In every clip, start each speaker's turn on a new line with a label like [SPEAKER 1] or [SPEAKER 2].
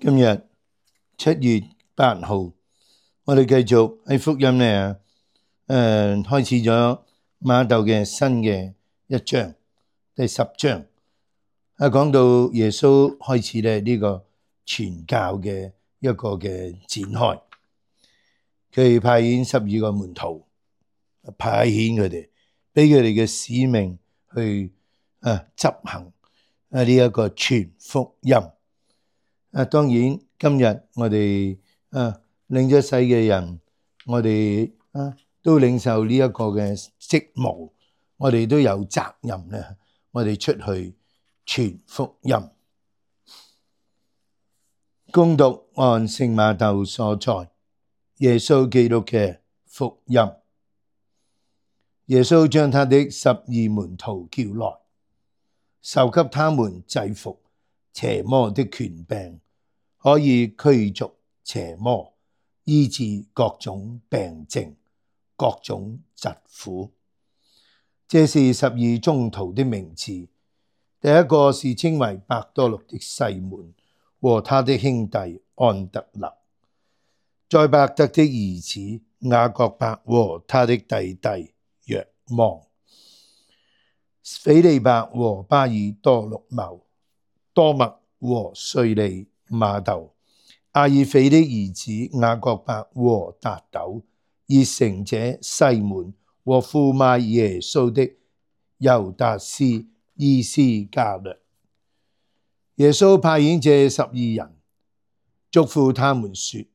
[SPEAKER 1] 今日7月8號，我哋繼續喺福音呢，開始咗馬竇嘅新嘅一章，第10章，講到耶穌開始咧呢個傳教嘅一個嘅展開，佢派遣12個門徒，派遣佢哋，俾佢哋嘅使命去執行呢一個傳福音。當然今日我哋領咗洗嘅人，我哋都領受呢一個嘅職務，我哋都有責任咧，我哋出去傳福音。恭讀按聖馬竇所載耶穌基督嘅福音。耶穌將他的12門徒叫來，授給他們制服邪魔的權柄，可以驅逐邪魔，醫治各種病症、各種疾苦。這是12宗徒的名字。第一個是稱為伯多祿的西門和他的兄弟安德肋，載伯德的兒子雅各伯和他的弟弟若望，斐理伯和巴爾多祿茂，多默和稅吏瑪竇，阿耳斐的兒子雅各伯和達陡，熱誠者西門和負賣耶穌的猶達斯依斯加略。耶穌派遣這12人，囑咐他們說：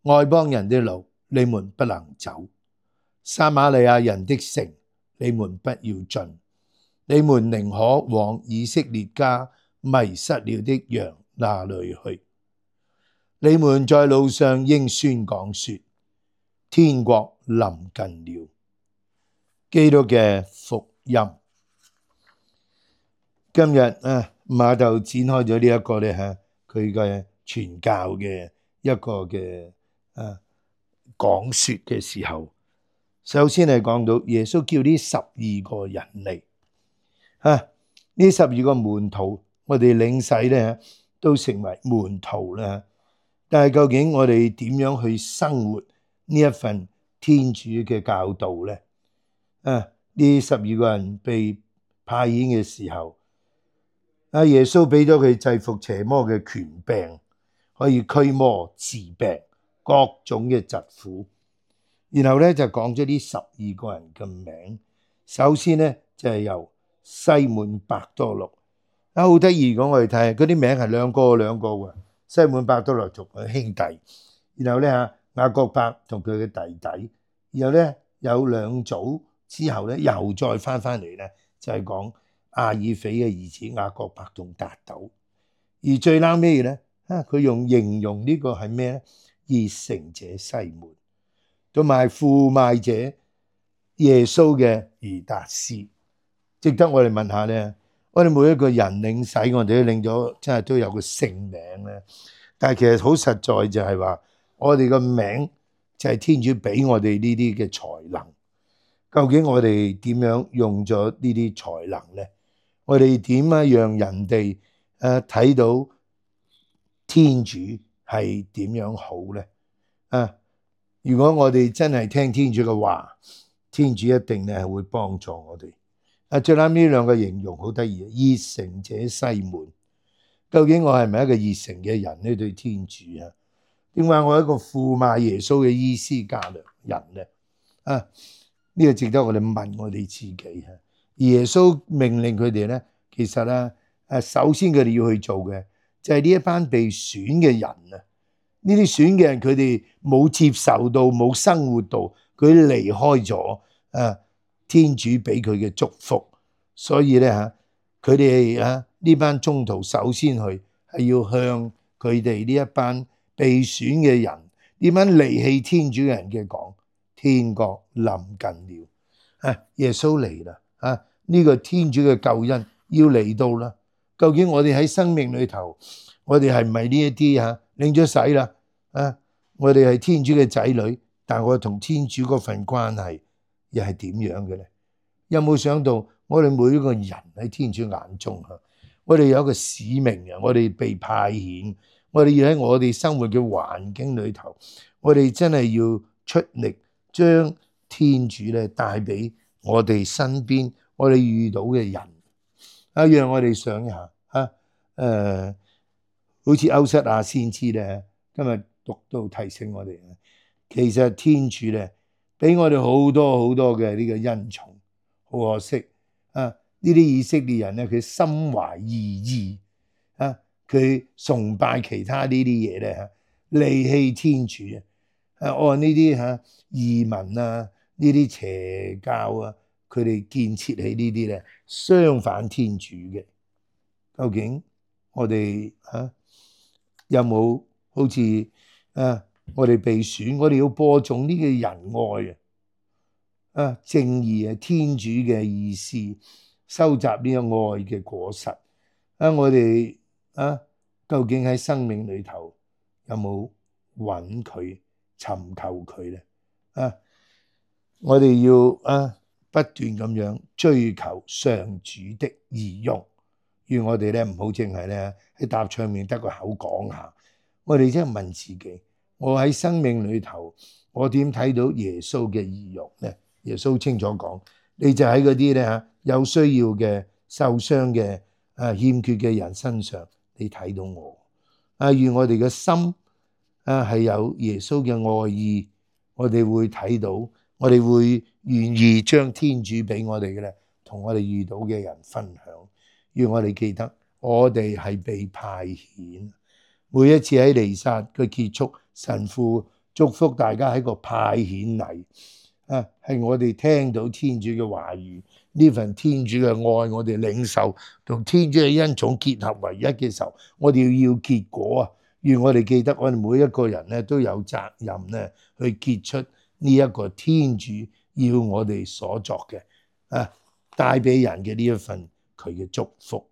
[SPEAKER 1] 外邦人的路你們不能走，撒瑪利亞人的城你們不要進，你們寧可往以色列家迷失了的羊那裏去。你們在路上應宣講說：天國臨近了。基督嘅福音。今日馬竇展開咗呢一個咧佢嘅傳教嘅一個嘅講說嘅時候，首先係講到耶穌叫呢12個人嚟，呢12個門徒，我哋領洗咧都成為門徒啦。但係究竟我哋點樣去生活呢一份天主嘅教導咧？呢12個人被派遣嘅時候，耶穌俾咗佢制服邪魔嘅權柄，可以驅魔治病，各種嘅疾苦。然後咧就講咗呢12個人嘅名。首先咧就係由西門伯多祿，好得意。如果我哋睇嗰啲名係兩個嘅，西門伯多祿同佢兄弟，然後咧雅各伯同佢嘅弟弟，然後咧有2組之後咧又再翻嚟咧，就係講阿耳斐嘅兒子雅各伯同達陡。而最撈尾咧佢用形容呢個係咩咧？熱誠者西門，同埋負賣者耶穌嘅猶達斯。值得我哋問下咧，我哋每一個人領洗，我哋都領咗，真係都有個聖名咧。但係其實好實在就係話，我哋個名就係天主俾我哋呢啲嘅才能。究竟我哋點樣用咗呢啲才能咧？我哋點樣讓人哋睇到天主係點樣好咧？如果我哋真係聽天主嘅話，天主一定咧係會幫助我哋。最啱呢2個形容好得意，熱誠者西門。究竟我係咪一個熱誠嘅人呢？對天主點解我係一個負賣耶穌嘅依斯加略人咧？呢個值得我哋問我哋自己。耶穌命令佢哋咧，其實首先佢哋要去做嘅就係呢一班被選嘅人啊。呢啲選嘅人，佢哋冇接受到，冇生活到，佢離開咗天主俾佢嘅祝福，所以咧佢哋呢班宗徒首先去係要向佢哋呢一班被選嘅人，呢班離棄天主嘅人嘅講，天國臨近了。耶穌嚟啦，呢個天主嘅救恩要嚟到啦。究竟我哋喺生命裏頭，我哋係唔係呢一啲領咗洗啦？我哋係天主嘅仔女，但我同天主嗰份關係又係點樣嘅咧？有冇想到我哋每一個人喺天主眼中我哋有一個使命，我哋被派遣，我哋要喺我哋生活嘅環境裏頭，我哋真係要出力將天主咧帶俾我哋身邊我哋遇到嘅人。讓我哋想一下好似歐瑟亞先知咧，今日讀到提醒我哋，其實天主咧俾我哋好多好多嘅呢個恩寵，好可惜呢啲以色列人咧，佢心懷異意佢崇拜其他呢啲嘢咧離棄天主按呢啲異民呢啲邪教佢哋建設起呢啲咧相反天主嘅。究竟我哋有冇好似我哋被選，我哋要播種呢個仁愛正義天主嘅意思，收集呢個愛嘅果實我哋究竟喺生命裏頭有冇揾佢尋求佢咧我哋要不斷咁樣追求上主的儀容。願我哋咧唔好淨係咧喺答唱面得個口講下，我哋真係問自己，我喺生命裏頭我點睇到耶穌嘅儀容咧？耶穌清楚講，你就喺嗰啲咧有需要嘅、受傷嘅、欠缺嘅人身上，你睇到我願我哋嘅心係有耶穌嘅愛意，我哋會睇到，我哋會願意將天主俾我哋嘅咧，同我哋遇到嘅人分享。願我哋記得，我哋係被派遣。每一次喺彌撒嘅結束，神父祝福大家喺個派遣禮係我哋聽到天主嘅話語，呢份天主嘅愛，我哋領受同天主嘅恩寵結合為一嘅時候，我哋要結果願我哋記得，我哋每一個人咧都有責任咧去結出呢一個天主要我哋所作嘅帶俾人嘅呢一份佢嘅祝福。